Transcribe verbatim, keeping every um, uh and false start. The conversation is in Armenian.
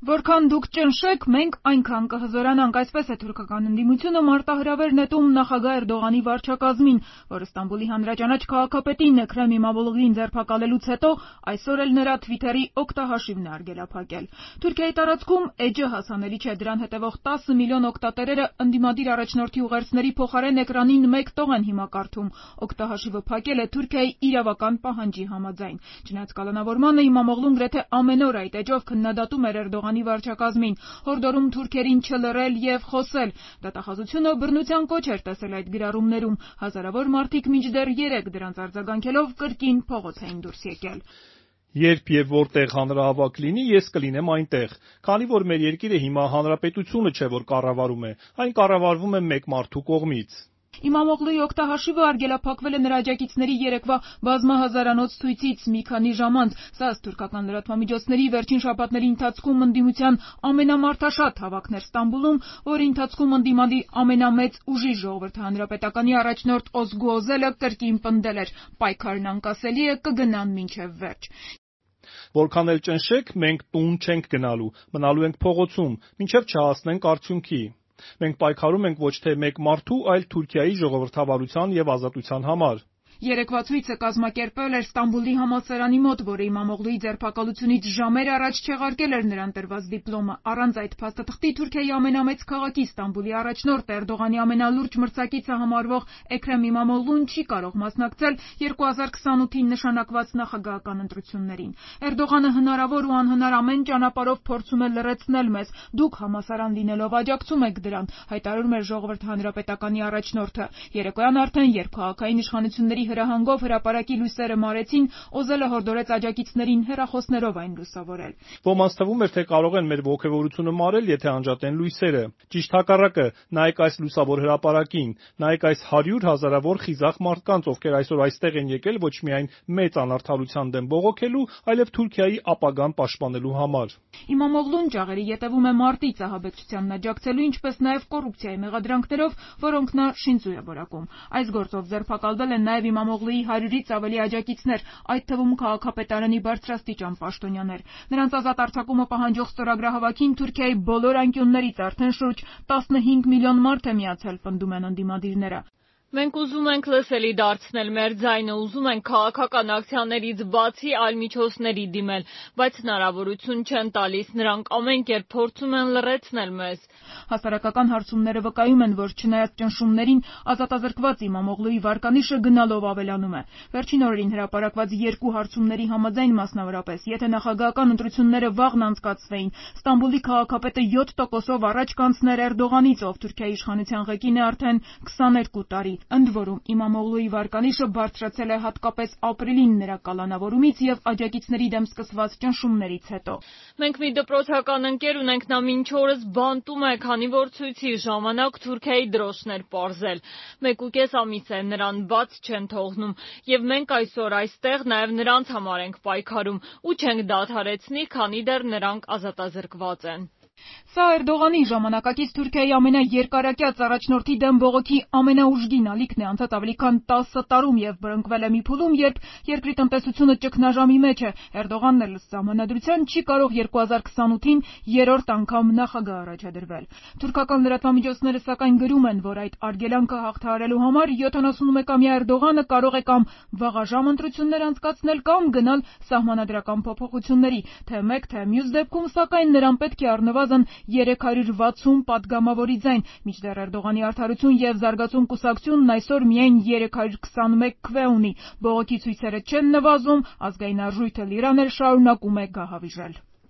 Որքան դուք ճնշեք, մենք այնքան կհզորանանք, այսպես է թուրքական ընդդիմությունը մարտահրավեր նետում նախագահ Էրդողանի վարչակազմին, որը Ստամբուլի հանրաճանաչ քաղաքապետին Էքրեմ Իմամօղլուին ձերբակալելուց հետո այսօր էլ նրա Թվիթերի օգտահաշիվն է արգելափակել։ Թուրքիայի տարածքում էջը հասանելի չէ, դրան հետևող տասը միլիոն օգտատերերը ընդդիմադիր առաջնորդի ուղերձների փոխարեն էկրանին մեկ տող են հիմա կարդում։ Օգտահաշիվը փակել է Թուրքիայի իրավական պահանջի համաձայն։ Չնայած կալանավորմանը Իմամօղլուն գրեթե ամեն օր այդ էջով քննադատում էր Էրդողանի վարչակազմին, հորդորում թուրքերին չլռել եւ խոսել։ Դատախազությունը բռնության կոչ էր տեսել այդ գրառումներում։ Հազարավոր մարդիկ մինչդեռ երեկ դրանց արձագանքելով կրկին փողոց էին դուրս եկել։ Երբ եւ որտեղ հանրահավաք լինի, ես կլինեմ այնտեղ, քանի որ մեր երկիրը հիմա հանրապետությունը չէ, որ կառավարում է, այն կառավարվում է մեկ մարդու կողմից։ Իմամօղլուի օգտահաշիվը արգելափակվել է նրա աջակիցների երեկվա բազմահազարանոց ցույցից մի քանի ժամ անց։ Սա թուրքական լրատվամիջոցների վերջին շաբաթների ընթացքում ընդդիմության ամենամարդաշատ հավաքն էր Ստամբուլում, որի ընթացքում ընդդիմադիր ամենամեծ ուժի ժողովրդի հանրապետականի առաջնորդ Օզգու Օզելը կրկին պնդել էր՝ պայքարն անկասելի է, կգնան մինչև վերջ։ Որքան էլ ճնշեք, մենք տուն չենք գնալու, մնալու ենք փողոցում, մինչև չհասնենք արդյունքի։ Մենք պայքարում ենք ոչ թե մեկ մարդու, այլ Թուրքիայի ժողովրդավարության եւ ազատության համար։ Երեկվա ցույցը կազմակերպվել էր Ստամբուլի համալսարանի մոտ, որը Իմամօղլուի ձերբակալությունից ժամեր առաջ չեղարկել էր նրան տրված դիպլոմը։ Առանց այդ փաստաթղթի Թուրքիայի ամենամեծ քաղաքի Ստամբուլի առաջնորդ Էրդողանի ամենալուրջ մրցակիցը համարվող Էքրեմ Իմամօղլուն չի կարող մասնակցել երկու հազար քսանութին նշանակված նախագահական ընտրություններին։ Էրդողանը հնարավոր ու անհնար ամեն ճանապարհով փորձում է լռեցնել մեզ։ Դուք համալսարան լինելով աջակցում եք դրան, հայտարարում էր ժողովրդի հանրապետականի առաջնորդը։ Երեկոյան արդեն, երբ քաղաքային իշխանությունների հրահանգով հրապարակի լույսերը մարեցին, Օզելը հորդորեց աջակիցներին հեռախոսներով այն լուսավորել։ Ոմանց թվում էր, թե կարող են մեր ոգևորությունը մարել, եթե անջատեն լույսերը։ Ճիշտ հակառակը, նայեք այս լուսավոր հրապարակին, նայեք այս հարյուր հազարավոր խիզախ մարդկանց, ովքեր այսօր այստեղ են եկել ոչ միայն մեծ անարդարության դեմ բողոքելու, այլև Թուրքիայի ապագան պաշտպանելու համար։ Իմամօղլուն ճաղերի ետևում է մարտի ցահաբեկչությանն աջակցելու, ինչպես նաև կոռուպցիայի մեղադրանքներով, որոնք նա շինծու է որակում։ Այս գործով ձերբակալվել են նաև Իմամօղլուի հարյուրից ավելի աջակիցներ, այդ թվում քաղաքապետարանի բարձրաստիճան պաշտոնյաներ։ Նրանց ազատ արձակումը պահանջող ստորագրահավաքին Թուրքիայի բոլոր անկյուններից արդեն շուրջ տասնհինգ միլիոն մարդ է միացել, պնդում են ընդդիմադիրները։ Մենք ուզում ենք լսելի դարձնել մեր ձայնը, ուզում ենք քաղաքական ակցիաներից բացի այլ միջոցների դիմել, բայց հնարավորություն չեն տալիս, նրանք ամեն կերպ փորձում են լռեցնել մեզ։ Հասարակական հարցումները վկայում են, որ չնայած ճնշումներին, ազատազրկված Իմամօղլուի վարկանիշը գնալով ավելանում է։ Վերջին օրերին հրապարակված երկու հարցումների համաձայն, մասնավորապես, եթե նախագահական ընտրությունները վաղն անցկացվեին, Ստամբուլի քաղաքապետը յոթ տոկոսով առաջ կանցներ Էրդողանից, ով Թուրքիայի իշխանության ղեկին է արդեն քսաներկու տարի։ Ընդ որում, Իմամօղլուի վարկանիշը բարձրացել է հատկապես ապրիլին նրա կալանավորումից եւ աջակիցների դեմ սկսված ճնշումներից հետո։ Մենք մի դպրոցական ընկեր ունենք, նա մինչ օրս բանտում է, քանի որ ցույցի ժամանակ Թուրքիայի դրոշն էր պարզել։ Մեկ ու կես ամիս է նրան բաց չեն թողնում, եւ մենք այսօր այստեղ նաեւ նրանց համար ենք պայքարում ու չենք դադարեցնի, քանի դեռ նրանք ազատազրկված են։ Սա Էրդողանի ժամանակակից Թուրքիայի ամենաերկարակյաց առաջնորդի դեմ բողոքի ամենաուժգին ալիքն է անցած ավելի քան տասը տարում եւ բռնկվել է մի փուլում, երբ երկրի տնտեսությունը ճգնաժամի մեջ է։ Էրդողանն էլ սահմանադրության չի կարող երկու հազար քսանութին երրորդ անգամ նախագահ առաջադրվել։ Թուրքական լրատվամիջոցները սակայն գրում են, որ այդ արգելանքը հաղթահարելու համար յոթանասունմեկամյա Էրդողանը կարող է կամ վաղաժամ ընտրություններ անցկացնել, կամ գնալ սահմանադրական փոփոխությունների, թե մեկ թե մյուս դեպքում, սակայն նրան պետք է առնվազն երեք հարյուր վաթսուն պատգամավորի ձայն, մինչդեռ Էրդողանի Արդարություն եւ Զարգացում կուսակցությունն այսօր միայն երեք հարյուր քսանմեկ քվե ունի։ Բողոքի ցույցերը չեն նվազում, ազգային արժույթը Լիրանն էլ շարունակում է գահավիժել։